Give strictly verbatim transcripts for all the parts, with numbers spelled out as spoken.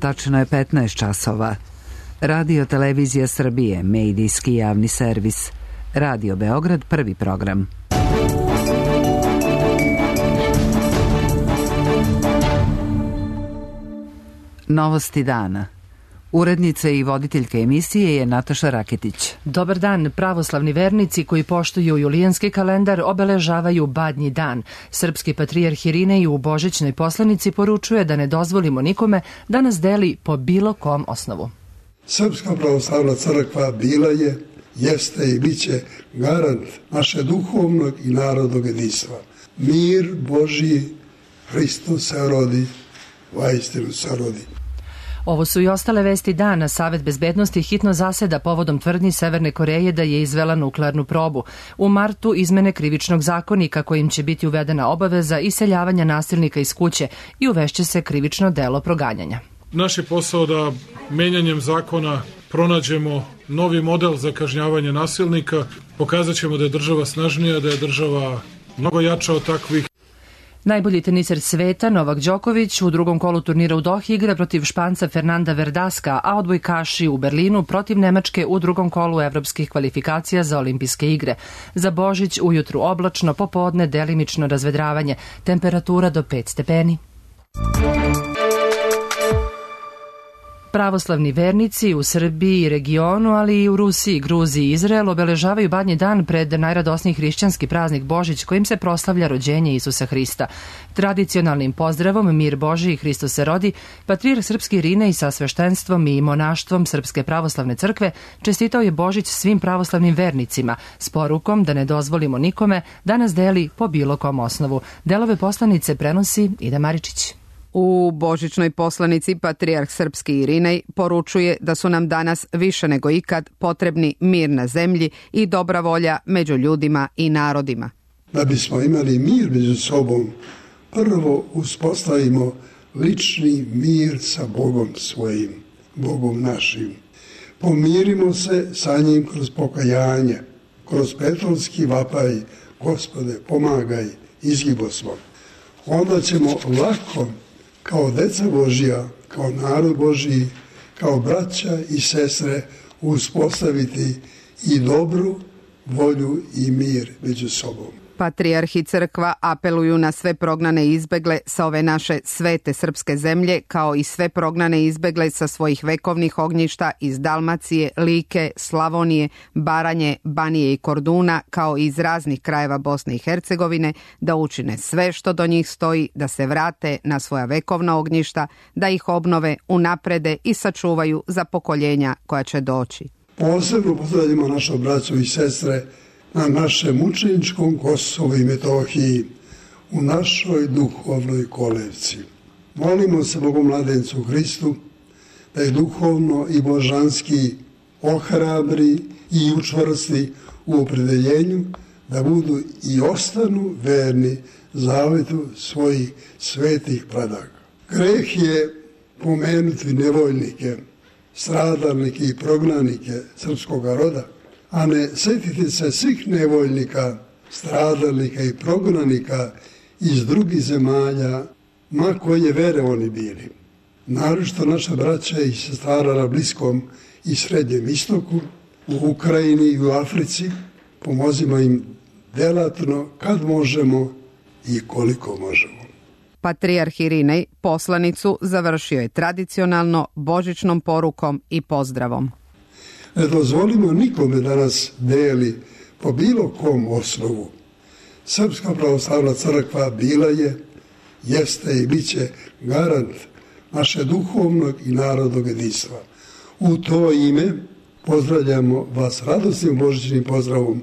Tačno je petnaest časova. Radio Televizija Srbije, medijski javni servis. Radio Beograd, prvi program. Novosti dana. Urednica i voditeljka emisije je Nataša Raketić. Dobar dan. Pravoslavni vernici koji poštuju julijanski kalendar obeležavaju Badnji dan. Srpski patrijarh Irinej u božićnoj poslanici poručuje da ne dozvolimo nikome da nas deli po bilo kom osnovu. Srpska pravoslavna crkva bila je, jeste i bit će garant naše duhovnog i narodnog jedinstva. Mir Božji, Hristos se rodi, vaistinu se rodi. Ovo su i ostale vesti dana. Savet bezbednosti hitno zaseda povodom tvrdnji Severne Koreje da je izvela nuklearnu probu. U martu izmene krivičnog zakonika kojim će biti uvedena obaveza iseljavanja nasilnika iz kuće i uvešće se krivično delo proganjanja. Naš je posao da menjanjem zakona pronađemo novi model za kažnjavanje nasilnika. Pokazat ćemo da je država snažnija, da je država mnogo jača od takvih. Najbolji teniser sveta Novak Đoković u drugom kolu turnira u Dohi igra protiv Španca Fernanda Verdaska, a odbojkaši u Berlinu protiv Nemačke u drugom kolu evropskih kvalifikacija za olimpijske igre. Za Božić ujutru oblačno, popodne delimično razvedravanje, temperatura do pet stepeni. Pravoslavni vernici u Srbiji i regionu, ali i u Rusiji, Gruziji i Izraelu obeležavaju Badnji dan pred najradosniji hrišćanski praznik Božić kojim se proslavlja rođenje Isusa Hrista. Tradicionalnim pozdravom Mir Božji, Hristos se rodi, patrijarh srpski Irinej sa sveštenstvom i monaštvom Srpske pravoslavne crkve čestitao je Božić svim pravoslavnim vernicima s porukom da ne dozvolimo nikome da nas deli po bilo kom osnovu. Delove poslanice prenosi Ida Maričić. U božićnoj poslanici patrijarh srpski Irinej poručuje da su nam danas više nego ikad potrebni mir na zemlji i dobra volja među ljudima i narodima. Da bismo imali mir među sobom, prvo uspostavimo lični mir sa Bogom svojim, Bogom našim. Pomirimo se sa njim kroz pokajanje, kroz petrovski vapaj, Gospode, pomagaj, izgibo smo. Onda ćemo lako kao deca Božja, kao narod Božji, kao braća i sestre uspostaviti i dobru volju i mir među sobom. Patrijarh i crkva apeluju na sve prognane i izbegle sa ove naše svete srpske zemlje, kao i sve prognane i izbegle sa svojih vekovnih ognjišta iz Dalmacije, Like, Slavonije, Baranje, Banije i Korduna, kao i iz raznih krajeva Bosne i Hercegovine, da učine sve što do njih stoji, da se vrate na svoja vekovna ognjišta, da ih obnove, unaprede i sačuvaju za pokoljenja koja će doći. Posebno pozdravljamo našu braću i sestre na našem mučeničkom Kosovu i Metohiji, u našoj duhovnoj kolevci. Molimo se Bogomladencu Hristu da je duhovno i božanski ohrabri i učvrsti u opredeljenju da budu i ostanu verni zavetu svojih svetih predaka. Greh je pomenuti nevoljnike, stradalnike i prognanike srpskog roda, a ne sjetiti se svih nevoljnika, stradalnika i prognanika iz drugih zemalja, ma koje vere oni bili. Naročito naša braća i sestara na Bliskom i Srednjem istoku, u Ukrajini i u Africi, pomozimo im delatno kad možemo i koliko možemo. Patrijarh Irinej poslanicu završio je tradicionalno božićnom porukom i pozdravom. Ne dozvolimo nikome da nas deli po bilo kom osnovu. Srpska pravoslavna crkva bila je, jeste i bit će garant naše duhovnog i narodnog jedinstva. U to ime pozdravljamo vas radosnim božićnim pozdravom.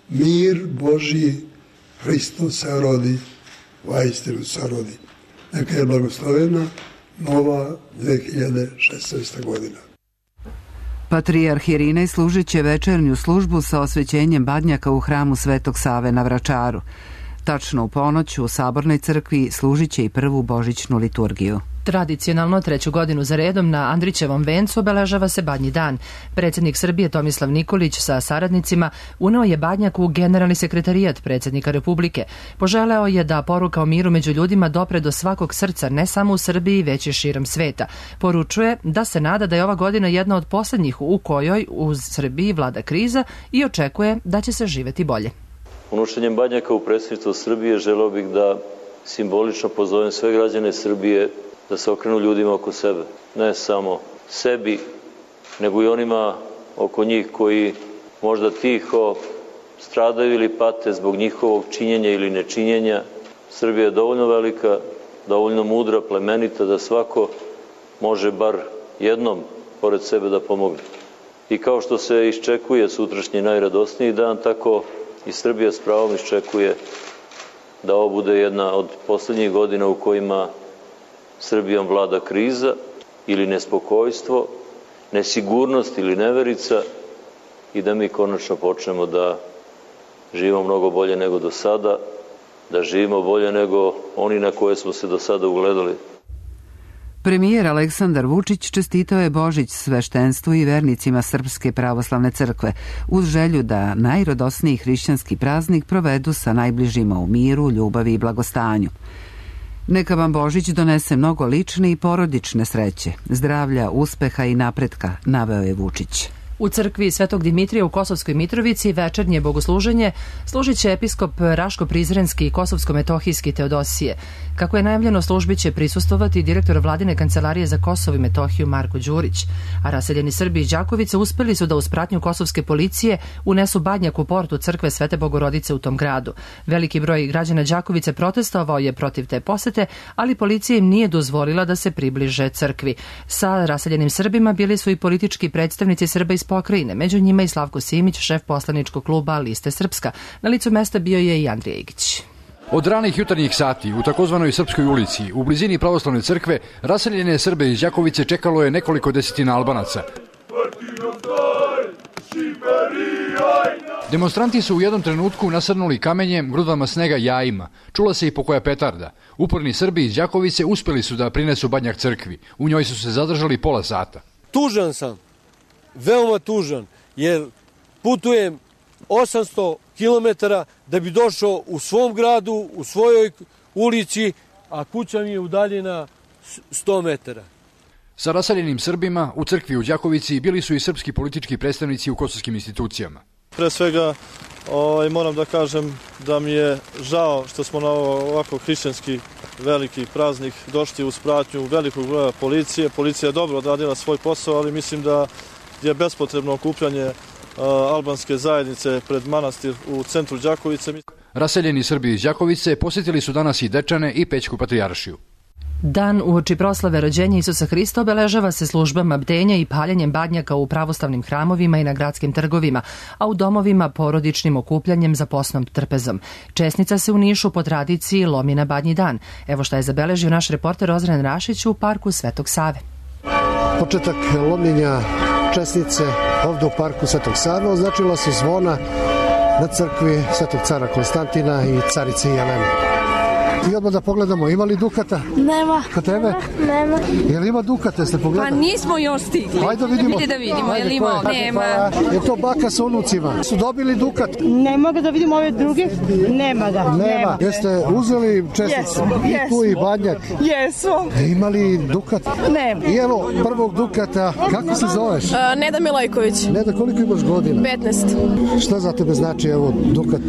Mir Božji, Hristos se rodi, vaistinu se rodi. Neka je blagoslovena nova dve hiljade šesnaesta godina. Patrijarh Irinej služit će večernju službu sa osvećenjem badnjaka u hramu Svetog Save na Vračaru. Tačno u ponoć u Sabornoj crkvi služit će i prvu božićnu liturgiju. Tradicionalno treću godinu za redom na Andrićevom vencu obeležava se Badnji dan. Predsjednik Srbije Tomislav Nikolić sa saradnicima uneo je badnjak u generalni sekretarijat predsjednika Republike. Poželeo je da poruka o miru među ljudima dopre do svakog srca, ne samo u Srbiji, već i širom sveta. Poručuje da se nada da je ova godina jedna od posljednjih u kojoj u Srbiji vlada kriza i očekuje da će se živeti bolje. Unošenjem badnjaka u predsjedništvo Srbije želeo bih da simbolično pozovem sve građane Srbije da se okrenu ljudima oko sebe. Ne samo sebi, nego i onima oko njih koji možda tiho stradaju ili pate zbog njihovog činjenja ili nečinjenja. Srbija je dovoljno velika, dovoljno mudra, plemenita da svako može bar jednom pored sebe da pomogne. I kao što se iščekuje sutrašnji najradosniji dan, tako i Srbija s pravom iščekuje da ovo bude jedna od posljednjih godina u kojima Srbijom vlada kriza ili nespokojstvo, nesigurnost ili neverica i da mi konačno počnemo da živimo mnogo bolje nego do sada, da živimo bolje nego oni na koje smo se do sada ugledali. Premijer Aleksandar Vučić čestitao je Božić sveštenstvu i vernicima Srpske pravoslavne crkve uz želju da najradosniji hrišćanski praznik provedu sa najbližima u miru, ljubavi i blagostanju. Neka vam Božić donese mnogo lične i porodične sreće, zdravlja, uspeha i napretka, naveo je Vučić. U crkvi Svetog Dimitrija u Kosovskoj Mitrovici večernje bogosluženje služit će episkop Raško-Prizrenski i Kosovsko-Metohijski Teodosije. Kako je najavljeno, službi će prisustovati direktor Vladine kancelarije za Kosovo i Metohiju Marko Đurić, a raseljeni Srbi iz Đakovice uspeli su da uz pratnju kosovske policije unesu badnjak u portu crkve Svete Bogorodice u tom gradu. Veliki broj građana Đakovice protestovao je protiv te posete, ali policija im nije dozvolila da se približe crkvi. Sa raseljenim Srbima bili su i politički predstavnici Srba iz pokrajine, među njima i Slavko Simić, šef poslaničkog kluba Liste Srpska. Na licu mesta bio je i Andrija Igić. Od ranih jutarnjih sati u takozvanoj Srpskoj ulici, u blizini pravoslavne crkve, raseljene Srbe iz Đakovice čekalo je nekoliko desetina Albanaca. Demonstranti su u jednom trenutku nasrnuli kamenjem, grudvama snega i jajima. Čula se i pokoja petarda. Uporni Srbi iz Đakovice uspeli su da prinesu badnjak crkvi. U njoj su se zadržali pola sata. Tužan sam, veoma tužan, jer putujem osamsto kilometara da bi došao u svom gradu, u svojoj ulici, a kuća mi je udaljena sto metara. Sa raseljenim Srbima u crkvi u Đakovici bili su i srpski politički predstavnici u kosovskim institucijama. Pre svega o, moram da kažem da mi je žao što smo na ovako hrišćanski veliki praznik došli uz pratnju velikog broja policije. Policija je dobro odradila svoj posao, ali mislim da je bespotrebno okupljanje uh, albanske zajednice pred manastir u centru Đakovice. Raseljeni Srbi iz Đakovice posjetili su danas i Dečane i Pećku patrijaršiju. Dan uoči proslave rođenja Isusa Hrista obeležava se službama bdenja i paljenjem badnjaka u pravoslavnim hramovima i na gradskim trgovima, a u domovima porodičnim okupljanjem za posnom trpezom. Česnica se u Nišu po tradiciji lomi na Badnji dan. Evo šta je zabeležio naš reporter Ozren Rašić u parku Svetog Save. Početak lomljenja česnice ovdje u parku Svetog Save označila su zvona na crkvi Svetog cara Konstantina i carice Jelene. I odmah da pogledamo, ima li dukata? Nema. Kod tebe? Nema. Je li ima dukata, jeste pogledali? Pa nismo još stigli. Hajde da vidimo. Hajde da vidimo, je li ima? Nema. Je to baka sa unucima? Su dobili dukat? Ne mogu da vidimo ove druge? Nema ga. Nema. Nema. Jeste uzeli česticu? Yes. I tu i badnjak? Jesu. E, ima li dukat? Nema. I evo prvog dukata. Kako se zoveš? Uh, Neda Milojković. Neda, koliko imaš godina? petnaest. Šta za tebe znači evo dukat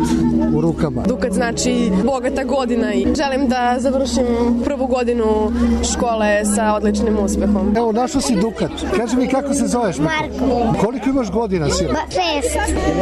u rukama? Dukat znači bogata godina i želim da završim prvu godinu škole sa odličnim uspehom. Evo, našao si dukat. Kaži mi kako se zoveš? Marko. Koliko imaš godina, sir? Šest.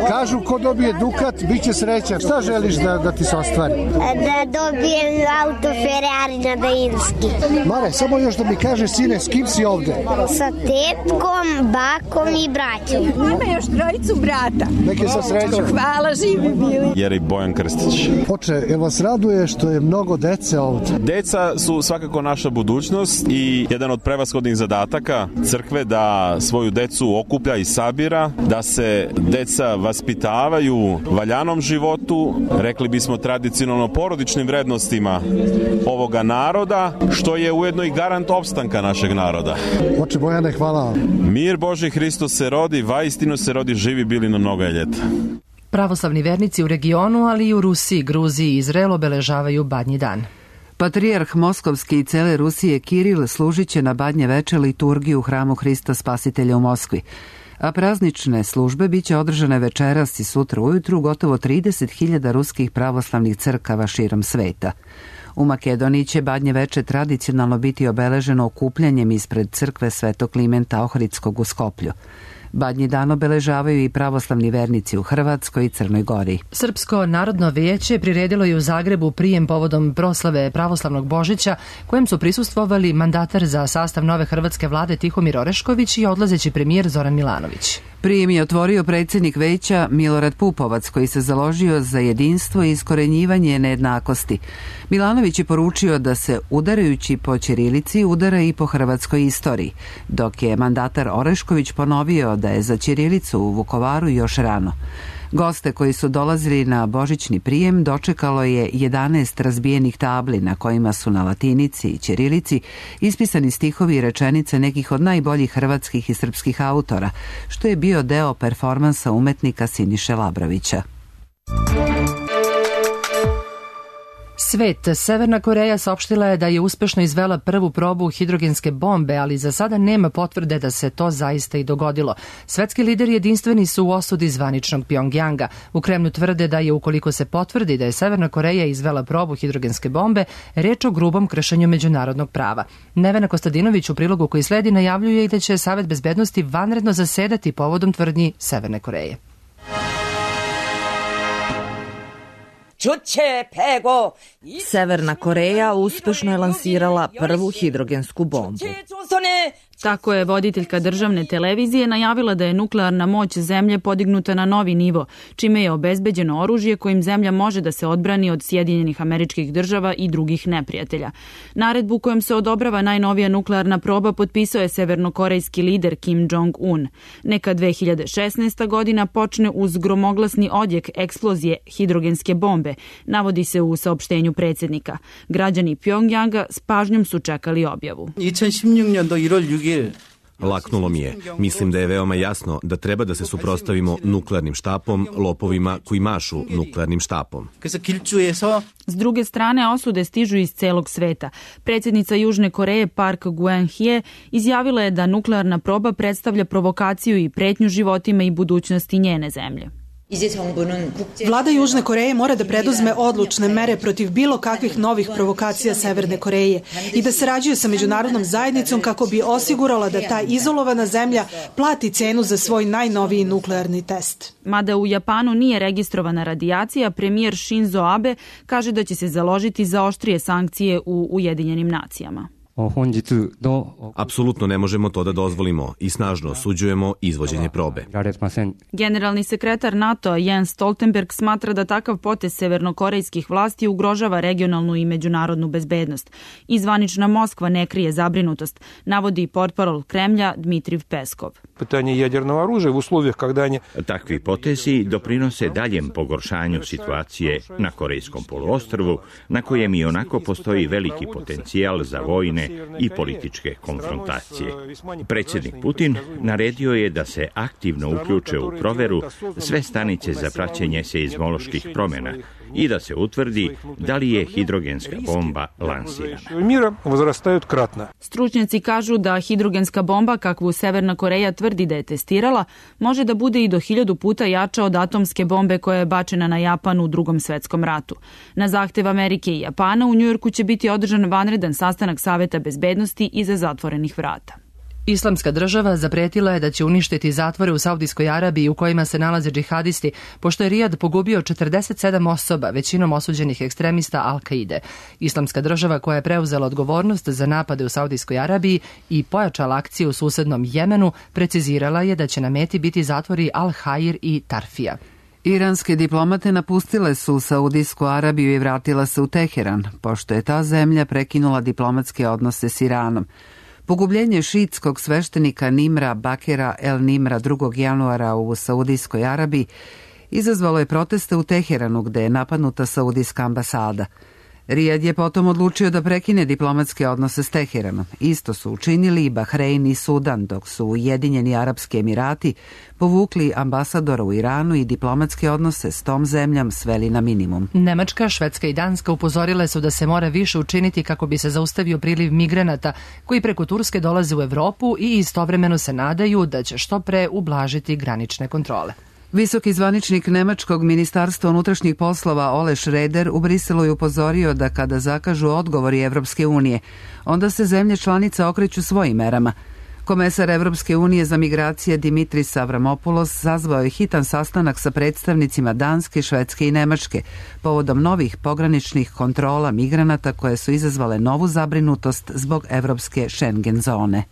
Kažu, ko dobije dukat, bit će srećan. Šta želiš da, da ti se ostvari? Da dobijem auto Ferrari na Bejinski. Mare, samo još da mi kažeš, sine, s kim si ovde? Sa tetkom, bakom i braćom. Ima još trojicu brata. Neki sa srećom. Hvala, živi bili. Jerej Bojan Krstić. Oče, jel vas raduje što je mnogo mnogo dece ovde. Deca su svakako naša budućnost i jedan od prevashodnih zadataka crkve da svoju decu okuplja i sabira, da se deca vaspitavaju valjanom životu, rekli bismo tradicionalno porodičnim vrednostima ovoga naroda, što je ujedno i garant opstanka našeg naroda. Oče Bojane, hvala. Mir Boži, Hristos se rodi, vaistinu se rodi, živi bili na mnogo je ljeta. Pravoslavni vernici u regionu, ali i u Rusiji, Gruziji i Izraelu obeležavaju Badnji dan. Patrijarh Moskovski i cele Rusije Kiril služit će na Badnje veče liturgiju u hramu Hrista Spasitelja u Moskvi, a praznične službe biće održane večeras i sutra ujutru gotovo trideset hiljada ruskih pravoslavnih crkava širom sveta. U Makedoniji će Badnje veče tradicionalno biti obeleženo okupljanjem ispred crkve Svetog Klimenta Ohridskog u Skoplju. Badnji dan obeležavaju i pravoslavni vernici u Hrvatskoj i Crnoj Gori. Srpsko narodno vijeće priredilo je u Zagrebu prijem povodom proslave pravoslavnog Božića, kojem su prisustvovali mandatar za sastav nove hrvatske vlade Tihomir Orešković i odlazeći premijer Zoran Milanović. Prijem je otvorio predsjednik veća Milorad Pupovac, koji se založio za jedinstvo i iskorenjivanje nejednakosti. Milanović je poručio da se udarajući po ćirilici udara i po hrvatskoj istoriji, dok je mandatar Orešković ponovio da je za ćirilicu u Vukovaru još rano. Goste koji su dolazili na božićni prijem dočekalo je jedanaest razbijenih tabli na kojima su na latinici i ćirilici ispisani stihovi i rečenice nekih od najboljih hrvatskih i srpskih autora, što je bio deo performansa umetnika Siniše Labrovića. Svet. Severna Koreja saopštila je da je uspešno izvela prvu probu hidrogenske bombe, ali za sada nema potvrde da se to zaista i dogodilo. Svetski lideri jedinstveni su u osudi zvaničnog Pjongjanga. U Kremlju tvrde da je, ukoliko se potvrdi da je Severna Koreja izvela probu hidrogenske bombe, reč o grubom kršenju međunarodnog prava. Nevena Kostadinović u prilogu koji sledi najavljuje i da će Savet bezbednosti vanredno zasedati povodom tvrdnji Severne Koreje. Severna Koreja uspešno je lansirala prvu hidrogensku bombu. Tako je voditeljka državne televizije najavila da je nuklearna moć zemlje podignuta na novi nivo, čime je obezbeđeno oružje kojim zemlja može da se odbrani od Sjedinjenih Američkih Država i drugih neprijatelja. Naredbu kojom se odobrava najnovija nuklearna proba potpisao je severnokorejski lider Kim Jong-un. Neka dve hiljade šesnaesta. godina počne uz gromoglasni odjek eksplozije hidrogenske bombe, navodi se u saopštenju predsjednika. Građani Pjongjanga s pažnjom su čekali objavu. Laknulo mi je. Mislim da je veoma jasno da treba da se suprotstavimo nuklearnim štapom, lopovima koji mašu nuklearnim štapom. S druge strane, osude stižu iz celog sveta. Predsjednica Južne Koreje Park Geun-hye izjavila je da nuklearna proba predstavlja provokaciju i pretnju životima i budućnosti njene zemlje. Vlada Južne Koreje mora da preduzme odlučne mere protiv bilo kakvih novih provokacija Severne Koreje i da sarađuje sa međunarodnom zajednicom kako bi osigurala da ta izolovana zemlja plati cenu za svoj najnoviji nuklearni test. Mada u Japanu nije registrovana radijacija, premijer Shinzo Abe kaže da će se založiti za oštrije sankcije u Ujedinjenim nacijama. Apsolutno ne možemo to da dozvolimo i snažno osuđujemo izvođenje probe. Generalni sekretar NATO Jens Stoltenberg smatra da takav potez severnokorejskih vlasti ugrožava regionalnu i međunarodnu bezbednost. I zvanična Moskva ne krije zabrinutost, navodi portparol Kremlja Dmitriv Peskov. Takvi potezi doprinose daljem pogoršanju situacije na Korejskom poluostrvu, na kojem i onako postoji veliki potencijal za vojne i političke konfrontacije. Predsjednik Putin naredio je da se aktivno uključe u proveru sve stanice za praćenje seizmoloških promjena i da se utvrdi da li je hidrogenska bomba lansirana. Stručnjaci kažu da hidrogenska bomba, kakvu Severna Koreja tvrdi da je testirala, može da bude i do hiljadu puta jača od atomske bombe koja je bačena na Japan u Drugom svetskom ratu. Na zahtev Amerike i Japana u Njujorku će biti održan vanredan sastanak Saveta bezbednosti iza zatvorenih vrata. Islamska država zapretila je da će uništiti zatvore u Saudijskoj Arabiji u kojima se nalaze džihadisti, pošto je Rijad pogubio četrdeset sedam osoba, većinom osuđenih ekstremista Al-Kaide. Islamska država, koja je preuzela odgovornost za napade u Saudijskoj Arabiji i pojačala akciju u susednom Jemenu, precizirala je da će na meti biti zatvori Al-Hair i Tarfija. Iranske diplomate napustile su Saudijsku Arabiju i vratila se u Teheran, pošto je ta zemlja prekinula diplomatske odnose s Iranom. Pogubljenje šiitskog sveštenika Nimra Bakera El Nimra drugog januara u Saudijskoj Arabiji izazvalo je proteste u Teheranu gde je napadnuta saudijska ambasada. Rijad je potom odlučio da prekine diplomatske odnose s Teheranom. Isto su učinili i Bahrein i Sudan, dok su Ujedinjeni Arapski Emirati povukli ambasadora u Iranu i diplomatske odnose s tom zemljom sveli na minimum. Nemačka, Švedska i Danska upozorile su da se mora više učiniti kako bi se zaustavio priliv migranata koji preko Turske dolaze u Evropu i istovremeno se nadaju da će što pre ublažiti granične kontrole. Visoki zvaničnik Nemačkog ministarstva unutrašnjih poslova Ole Schroeder u Briselu je upozorio da kada zakažu odgovori Evropske unije, onda se zemlje članice okreću svojim merama. Komesar Evropske unije za migracije Dimitris Avramopoulos sazvao je hitan sastanak sa predstavnicima Danske, Švedske i Nemačke povodom novih pograničnih kontrola migranata koje su izazvale novu zabrinutost zbog evropske Schengen zone.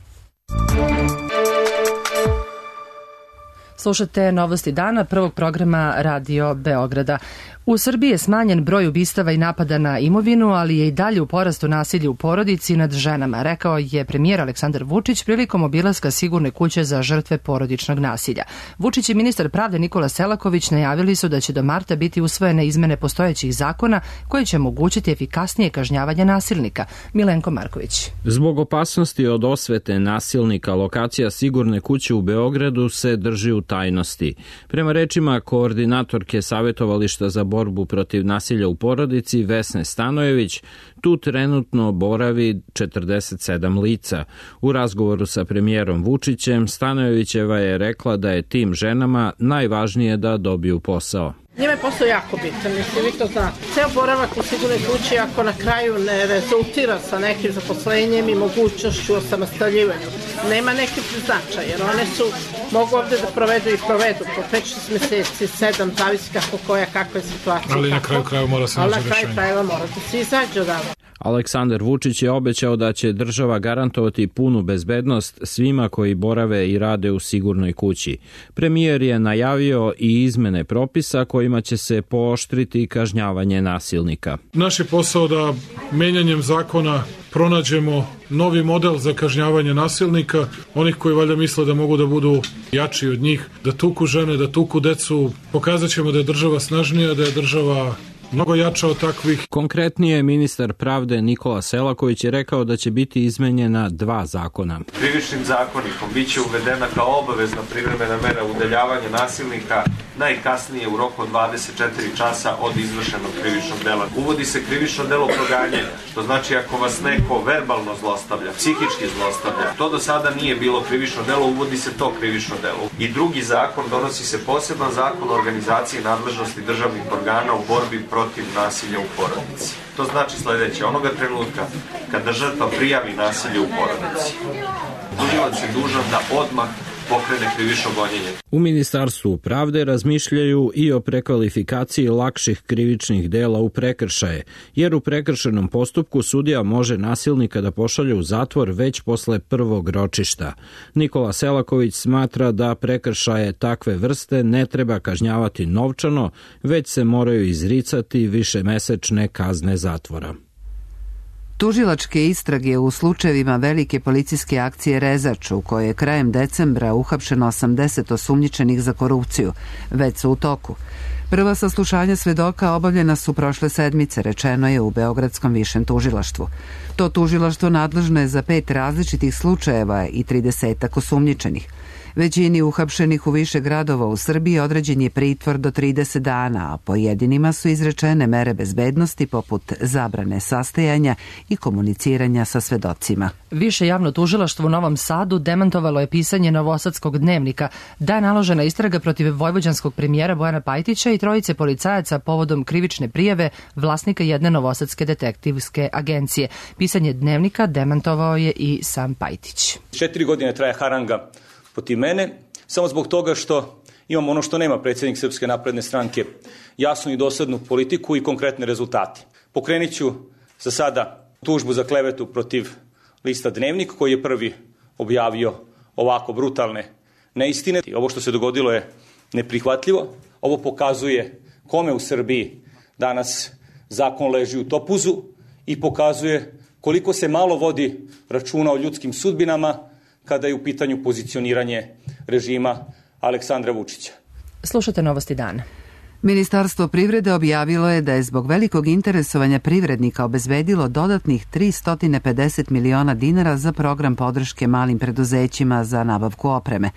Slušate Novosti dana prvog programa Radio Beograda. U Srbiji je smanjen broj ubistava i napada na imovinu, ali je i dalje u porastu nasilja u porodici nad ženama, rekao je premijer Aleksandar Vučić prilikom obilaska sigurne kuće za žrtve porodičnog nasilja. Vučić i ministar pravde Nikola Selaković najavili su da će do marta biti usvojene izmene postojećih zakona koje će omogućiti efikasnije kažnjavanje nasilnika. Milenko Marković. Zbog opasnosti od osvete nasilnika, lokacija sigurne kuće u Beogradu se drži u tajnosti. Prema rečima koordinatorke savjetovališta za borbu protiv nasilja u porodici Vesne Stanojević, tu trenutno boravi četrdeset sedam lica. U razgovoru sa premijerom Vučićem, Stanojevićeva je rekla da je tim ženama najvažnije da dobiju posao. Njima je posao jako bitan, mislim, vi to znate. Ceo boravak u sigurnoj kući, ako na kraju ne rezultira sa nekim zaposlenjem i mogućnošću osamostaljivanju, nema neki značaj, jer one su, mogu ovde da provedu i provedu po pet šest meseci, sedam, zavisi kako koja, kakva je situacija. Ali na kraju kraju mora se naći rešenje. Ali na kraju krajeva mora da se izađe odavno. Aleksandar Vučić je obećao da će država garantovati punu bezbednost svima koji borave i rade u sigurnoj kući. Premijer je najavio i izmene propisa kojima će se pooštriti kažnjavanje nasilnika. Naš je posao da menjanjem zakona pronađemo novi model za kažnjavanje nasilnika, onih koji valjda misle da mogu da budu jači od njih, da tuku žene, da tuku decu. Pokazat ćemo da je država snažnija, da je država mnogo jača od takvih. Konkretnije, ministar pravde Nikola Selaković je rekao da će biti izmenjena dva zakona. Krivičnim zakonikom biće uvedena kao obavezna privremena mera udaljavanja nasilnika najkasnije u roku od dvadeset četiri časa od izvršenog krivičnog dela. Uvodi se krivično delo proganjanja, to znači ako vas neko verbalno zlostavlja, psihički zlostavlja, to do sada nije bilo krivično delo, uvodi se to krivično delo. I drugi zakon, donosi se poseban zakon o organizaciji nadležnosti državnih organa u borbi protiv nasilja u porodici. To znači sledeće, onoga trenutka kada žrtva prijavi nasilje u porodici, tužilac je dužan da odmah pokrene krivično gonjenje. U Ministarstvu pravde razmišljaju i o prekvalifikaciji lakših krivičnih dela u prekršaje, jer u prekršajnom postupku sudija može nasilnika da pošalje u zatvor već posle prvog ročišta. Nikola Selaković smatra da prekršaje takve vrste ne treba kažnjavati novčano, već se moraju izricati višemesečne kazne zatvora. Tužilačke istrage u slučajevima velike policijske akcije Rezač, u kojoj je krajem decembra uhapšeno osamdeset osumnjičenih za korupciju, već su u toku. Prva saslušanja svedoka obavljena su prošle sedmice, rečeno je u Beogradskom višem tužilaštvu. To tužilaštvo nadležno je za pet različitih slučajeva i tridesetak osumnjičenih. Većini uhapšenih u više gradova u Srbiji određen je pritvor do trideset dana, a pojedinima su izrečene mere bezbednosti poput zabrane sastajanja i komuniciranja sa svedocima. Više javno tužilaštvo u Novom Sadu demantovalo je pisanje Novosadskog dnevnika da je naložena istraga protiv vojvođanskog premijera Bojana Pajtića i trojice policajaca povodom krivične prijave vlasnika jedne novosadske detektivske agencije. Pisanje dnevnika demantovao je i sam Pajtić. Četiri godine traje haranga protiv mene, samo zbog toga što imam ono što nema predsjednik Srpske napredne stranke, jasnu i doslednu politiku i konkretne rezultate. Pokrenit ću za sada tužbu za klevetu protiv lista Dnevnik, koji je prvi objavio ovako brutalne neistine. Ovo što se dogodilo je neprihvatljivo. Ovo pokazuje kome u Srbiji danas zakon leži u topuzu i pokazuje koliko se malo vodi računa o ljudskim sudbinama kada je u pitanju pozicioniranje režima Aleksandra Vučića. Slušate Novosti dana. Ministarstvo privrede objavilo je da je zbog velikog interesovanja privrednika obezbedilo dodatnih tristo pedeset miliona dinara za program podrške malim preduzećima za nabavku opreme.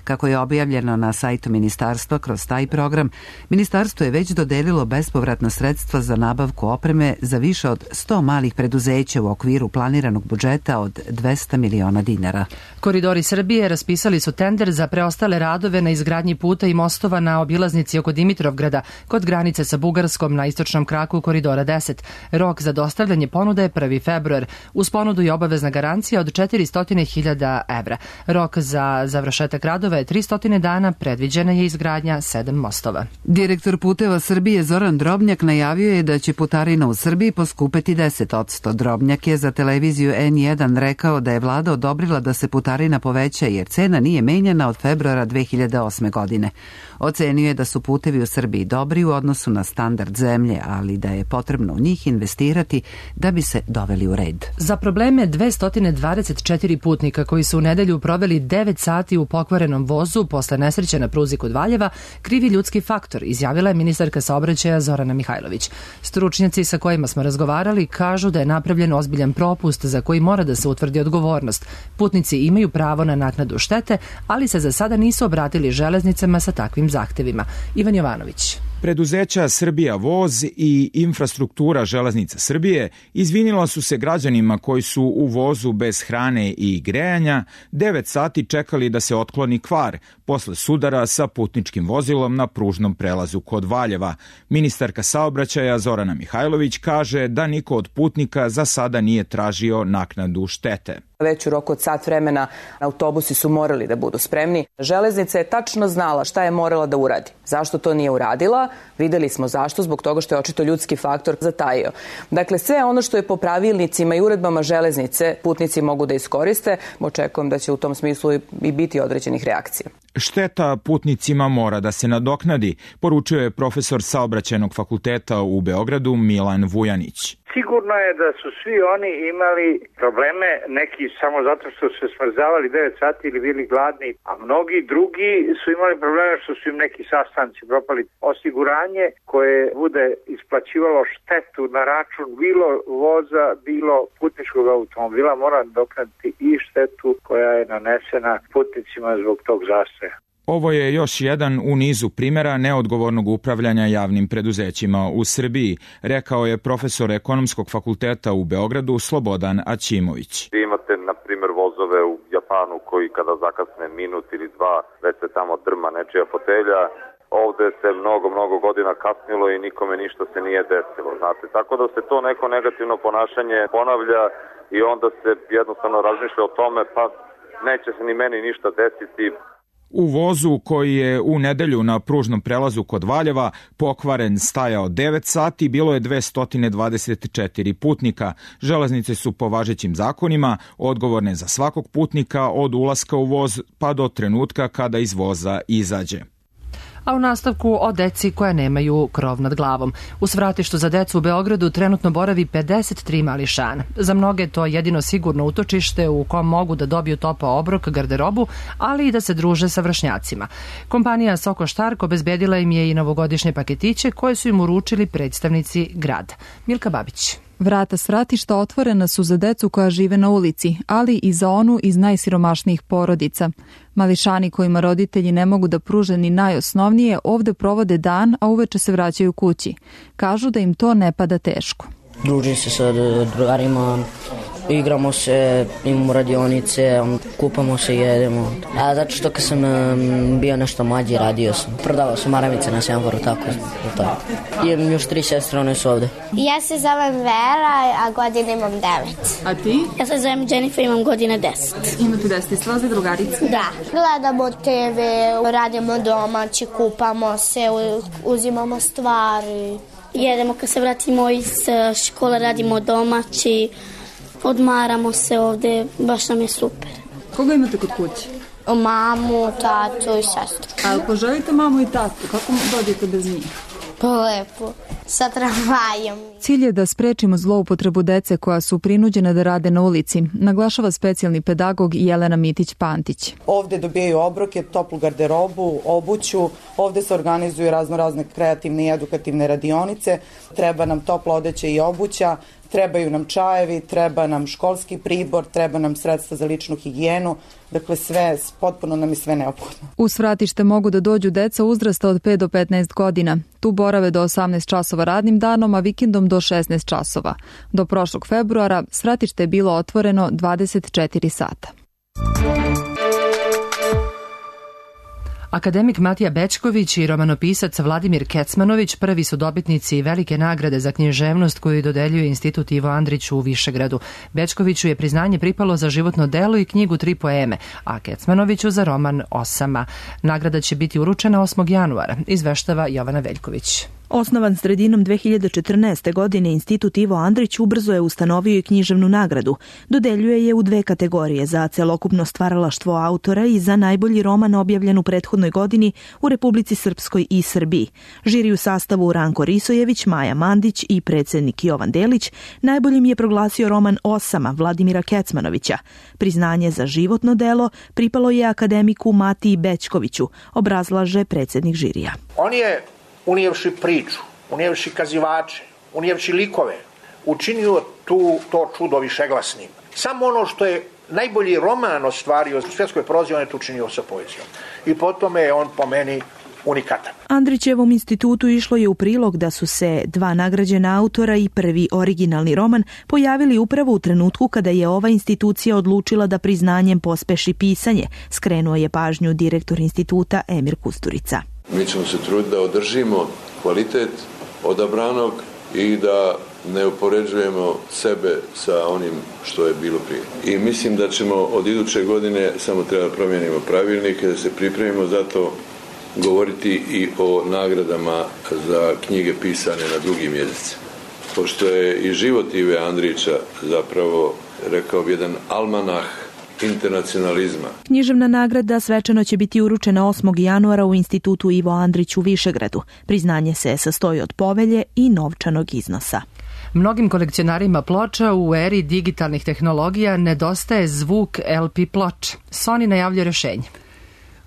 Kako je objavljeno na sajtu ministarstva, kroz taj program, ministarstvo je već dodelilo bespovratna sredstva za nabavku opreme za više od sto malih preduzeća u okviru planiranog budžeta od dvesta miliona dinara. Koridori Srbije raspisali su tender za preostale radove na izgradnji puta i mostova na obilaznici oko Dimitrovgrada kod granice sa Bugarskom na istočnom kraku Koridora deset. Rok za dostavljanje ponude je prvi februar. Uz ponudu je obavezna garancija od četiristo hiljada evra. Rok za završetak radova je tristo dana, predviđena je izgradnja sedam mostova. Direktor Puteva Srbije Zoran Drobnjak najavio je da će putarina u Srbiji poskupeti deset posto. Drobnjak je za televiziju en jedan rekao da je vlada odobrila da se putarina poveća jer cena nije menjana od februara dve hiljade osme. godine. Ocenio je da su putevi u Srbiji dobri u odnosu na standard zemlje, ali da je potrebno u njih investirati da bi se doveli u red. Za probleme dvesta dvadeset četiri putnika koji su u nedelju proveli devet sati u pokvarenom vozu posle nesreće na pruzi kod Valjeva, krivi ljudski faktor, izjavila je ministarka saobraćaja Zorana Mihajlović. Stručnjaci sa kojima smo razgovarali kažu da je napravljen ozbiljan propust za koji mora da se utvrdi odgovornost. Putnici imaju pravo na naknadu štete, ali se za sada nisu obratili železnicama sa takvim zahtevima. Ivan Jovanović. Preduzeća Srbija voz i infrastruktura železnica Srbije izvinila su se građanima koji su u vozu bez hrane i grejanja devet sati čekali da se otkloni kvar posle sudara sa putničkim vozilom na pružnom prelazu kod Valjeva. Ministarka saobraćaja Zorana Mihajlović kaže da niko od putnika za sada nije tražio naknadu štete. Već u roku od sat vremena autobusi su morali da budu spremni. Železnica je tačno znala šta je morala da uradi. Zašto to nije uradila? Videli smo zašto, zbog toga što je očito ljudski faktor zatajio. Dakle, sve ono što je po pravilnicima i uredbama železnice putnici mogu da iskoriste. Očekujem da će u tom smislu i biti određenih reakcija. Šteta putnicima mora da se nadoknadi, poručio je profesor Saobraćajnog fakulteta u Beogradu Milan Vujanić. Sigurno je da su svi oni imali probleme, neki samo zato što su se smrzavali devet sati ili bili gladni, a mnogi drugi su imali probleme što su im neki sastanci propali. Osiguranje koje bude isplaćivalo štetu na račun bilo voza, bilo putničkog automobila mora nadoknaditi i štetu koja je nanesena putnicima zbog tog zastoja. Ovo je još jedan u nizu primjera neodgovornog upravljanja javnim preduzećima u Srbiji, rekao je profesor Ekonomskog fakulteta u Beogradu Slobodan Aćimović. Vi imate, na primjer, vozove u Japanu koji kada zakasne minut ili dva, već se tamo drma nečija fotelja. Ovde se mnogo, mnogo godina kasnilo i nikome ništa se nije desilo, znate. Tako da se to neko negativno ponašanje ponavlja i onda se jednostavno razmišlja o tome, pa neće se ni meni ništa desiti. U vozu koji je u nedelju na pružnom prelazu kod Valjeva pokvaren stajao devet sati, bilo je dvesta dvadeset četiri putnika. Železnice su po važećim zakonima odgovorne za svakog putnika od ulaska u voz pa do trenutka kada iz voza izađe. A u nastavku o deci koja nemaju krov nad glavom. U svratištu za decu u Beogradu trenutno boravi pedeset tri mališana. Za mnoge to je jedino sigurno utočište u kom mogu da dobiju topao obrok, garderobu, ali i da se druže sa vršnjacima. Kompanija Soko Štark obezbedila im je i novogodišnje paketiće koje su im uručili predstavnici grada. Milka Babić. Vrata svratišta otvorena su za decu koja žive na ulici, ali i za onu iz najsiromašnijih porodica. Mališani kojima roditelji ne mogu da pruže ni najosnovnije ovde provode dan, a uveče se vraćaju kući. Kažu da im to ne pada teško. Družim se sa drugarima, igramo se, imamo radionice, kupamo se, jedemo. A zato što kad sam bio nešto mlađi, radio sam. Prodavao sam maramice na semaforu, tako. tako. Imam još tri sestre, one su ovde. Ja se zovem Vera, a godine imam devet. A ti? Ja se zovem Jennifer, imam godine deset. Imate deset, ste vas drugarice? Da. Gledamo te ve, radimo domaći, kupamo se, uzimamo stvari. Jedemo kad se vratimo iz škole, radimo domaći, odmaramo se ovde, baš nam je super. Koga imate kod kuće? Mamu, tatu i sestru. A poželite mamu i tatu? Kako dođete bez njih? Lepo, sa tramvajom. Cilj je da sprečimo zloupotrebu dece koja su prinuđena da rade na ulici, naglašava specijalni pedagog Jelena Mitić-Pantić. Ovde dobijaju obroke, toplu garderobu, obuću, ovde se organizuju razno razne kreativne i edukativne radionice, treba nam topla odeća i obuća, trebaju nam čajevi, treba nam školski pribor, treba nam sredstva za ličnu higijenu, dakle sve, potpuno nam je sve neophodno. U svratište mogu da dođu deca uzrasta od pet do petnaest godina. Tu borave do osamnaest časova radnim danom, a vikendom do šesnaest časova. Do prošlog februara svratište je bilo otvoreno dvadeset četiri sata. Akademik Matija Bećković i romanopisac Vladimir Kecmanović prvi su dobitnici velike nagrade za književnost koju dodeljuje Institut Ivo Andrić u Višegradu. Bećkoviću je priznanje pripalo za životno delo i knjigu Tri poeme, a Kecmanoviću za roman Osama. Nagrada će biti uručena osmog januara, izveštava Jovana Veljković. Osnovan sredinom dve hiljade četrnaeste. godine, Institut Ivo Andrić ubrzo je ustanovio i književnu nagradu. Dodeljuje je u dve kategorije, za celokupno stvaralaštvo autora i za najbolji roman objavljen u prethodnoj godini u Republici Srpskoj i Srbiji. Žiri u sastavu Ranko Risojević, Maja Mandić i predsednik Jovan Delić najboljim je proglasio roman Osama Vladimira Kecmanovića. Priznanje za životno delo pripalo je akademiku Matiji Bećkoviću, obrazlaže predsednik žirija. On je unijevši priču, unijevši kazivače, unijevši likove, učinio tu to čudo višeglasnim. Samo ono što je najbolji roman ostvario u svjetskoj prozi, on je to učinio sa poezijom. I po tome je on po meni unikatan. Andrićevom institutu išlo je u prilog da su se dva nagrađena autora i prvi originalni roman pojavili upravo u trenutku kada je ova institucija odlučila da priznanjem pospeši pisanje, skrenuo je pažnju direktor instituta Emir Kusturica. Mi ćemo se truditi da održimo kvalitet odabranog i da ne upoređujemo sebe sa onim što je bilo prije. I mislim da ćemo od iduće godine, samo treba da promijenimo pravilnike, da se pripremimo za to, govoriti i o nagradama za knjige pisane na drugim jezicima. Pošto je i život Ive Andrića zapravo, rekao bi, jedan almanah internacionalizma. Književna nagrada svečano će biti uručena osmog januara u Institutu Ivo Andrić u Višegradu. Priznanje se sastoji od povelje i novčanog iznosa. Mnogim kolekcionarima ploča u eri digitalnih tehnologija nedostaje zvuk el pe ploča. Sony najavlja rešenje.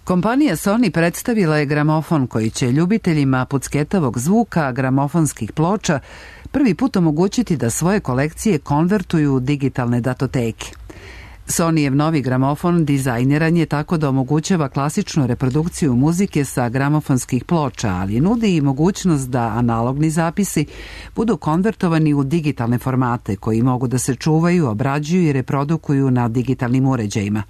Kompanija Sony predstavila je gramofon koji će ljubiteljima pucketavog zvuka gramofonskih ploča prvi put omogućiti da svoje kolekcije konvertuju u digitalne datoteke. Sonyjev novi gramofon dizajniran je tako da omogućava klasičnu reprodukciju muzike sa gramofonskih ploča, ali nudi i mogućnost da analogni zapisi budu konvertovani u digitalne formate koji mogu da se čuvaju, obrađuju i reprodukuju na digitalnim uređajima.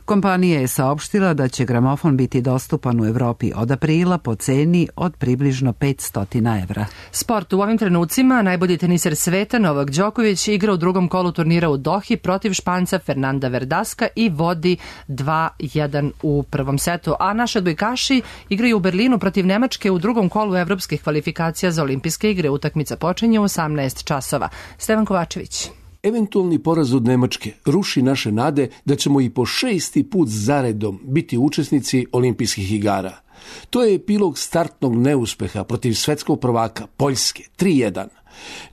Kompanija je saopštila da će gramofon biti dostupan u Evropi od aprila po ceni od približno petsto evra. Sport u ovim trenucima najbolji teniser sveta Novak Đoković igra u drugom kolu turnira u Dohi protiv Španca Fernanda Verdaska i vodi dva jedan u prvom setu, a naši odbojkaši igraju u Berlinu protiv Nemačke u drugom kolu evropskih kvalifikacija za olimpijske igre. Utakmica počinje u osamnaest časova. Stevan Kovačević. Eventualni poraz od Nemačke ruši naše nade da ćemo i po šesti put zaredom biti učesnici olimpijskih igara. To je epilog startnog neuspeha protiv svetskog prvaka Poljske tri jedan.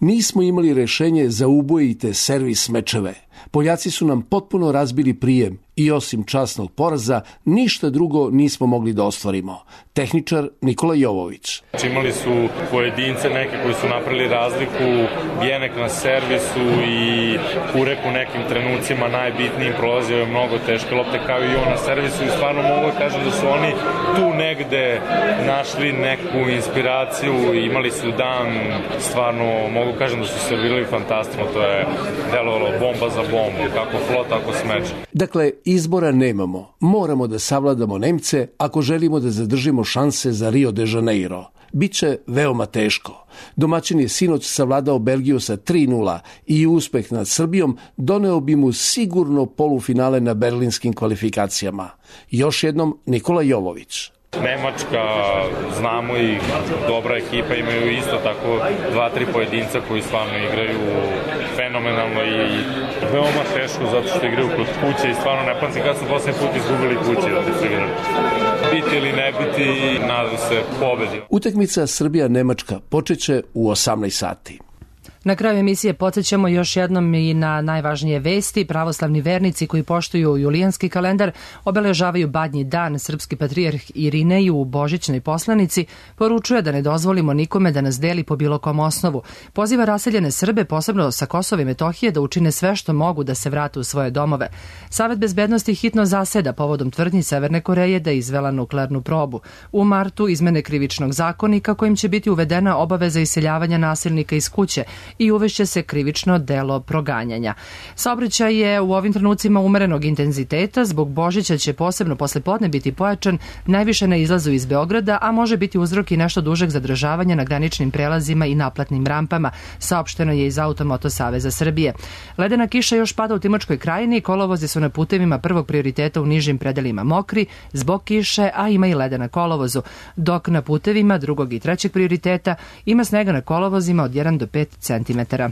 Nismo imali rešenje za ubojite servis mečeve. Poljaci su nam potpuno razbili prijem i osim časnog poraza ništa drugo nismo mogli da ostvarimo. Tehničar Nikola Jovović. Imali su pojedince neke koji su napravili razliku, Bjenek na servisu i Kurek u nekim trenucima najbitnijim prolazio je mnogo teške lopte kao i on na servisu i stvarno mogu da kažem da su oni tu negde našli neku inspiraciju i imali su dan, stvarno mogu kažem da su servirali fantastično, to je delovalo bomba za bombu, kako flot, tako smeč. Dakle, izbora nemamo. Moramo da savladamo Nemce ako želimo da zadržimo šanse za Rio de Janeiro. Biće veoma teško. Domaćin je sinoć savladao Belgiju sa tri nula i uspeh nad Srbijom doneo bi mu sigurno polufinale na berlinskim kvalifikacijama. Još jednom Nikola Jovović. Nemačka, znamo ih, dobra ekipa, imaju isto tako dva, tri pojedinca koji stvarno igraju fenomenalno i veoma teško zato što igraju kod kuće i stvarno ne pamtim kad su poslednji put izgubili kuće da su igrali. Biti ili ne biti, nadam se pobedi. Utakmica Srbija-Nemačka počeće u osamnaest sati. Na kraju emisije podsjećamo još jednom i na najvažnije vesti. Pravoslavni vernici koji poštuju julijanski kalendar obeležavaju Badnji dan. Srpski patrijarh Irinej u božićnoj poslanici poručuje da ne dozvolimo nikome da nas deli po bilo kom osnovu. Poziva raseljene Srbe, posebno sa Kosova i Metohije, da učine sve što mogu da se vrate u svoje domove. Savet bezbednosti hitno zaseda povodom tvrdnji Severne Koreje da je izvela nuklearnu probu. U martu izmene krivičnog zakonika kojim će biti uvedena obaveza iseljavanja nasilnika iz kuće i uvešće se krivično delo proganjanja. Saobraćaj je u ovim trenucima umerenog intenziteta. Zbog Božića će posebno posle podne biti pojačan, najviše na izlazu iz Beograda, a može biti uzrok i nešto dužeg zadržavanja na graničnim prelazima i naplatnim rampama, saopšteno je iz Automoto Saveza Srbije. Ledena kiša još pada u Timočkoj krajini, kolovozi su na putevima prvog prioriteta u nižim predelima mokri zbog kiše, a ima i leda na kolovozu, dok na putevima drugog i trećeg prioriteta ima snega na kolovozima od jedan do pet centimetara.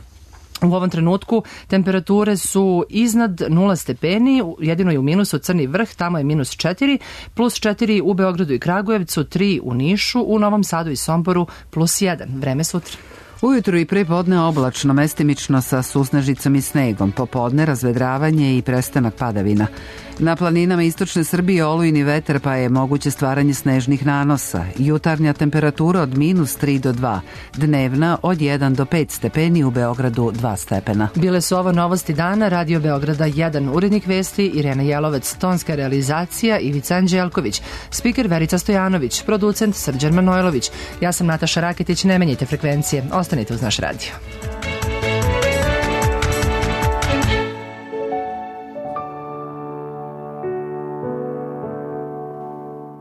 U ovom trenutku temperature su iznad nula stepeni, jedino je u minusu Crni vrh, tamo je minus četiri, plus četiri u Beogradu i Kragujevcu, tri u Nišu, u Novom Sadu i Somboru plus jedan. Vreme sutra. Ujutru i pre podne oblačno, mestimično sa susnežicom i snegom, popodne razvedravanje i prestanak padavina. Na planinama istočne Srbije olujni vetar, pa je moguće stvaranje snežnih nanosa. Jutarnja temperatura od minus tri do dva, dnevna od jedan do pet stepeni, u Beogradu dva stepena. Bile su ovo novosti dana, Radio Beograda jedan, urednik vesti Irena Jelovec, tonska realizacija Ivica Anđelković, spiker Verica Stojanović, producent Srđan Manojlović. Ja sam Nataša Raketić, ne menjajte frekvencije, ostanite uz naš radio.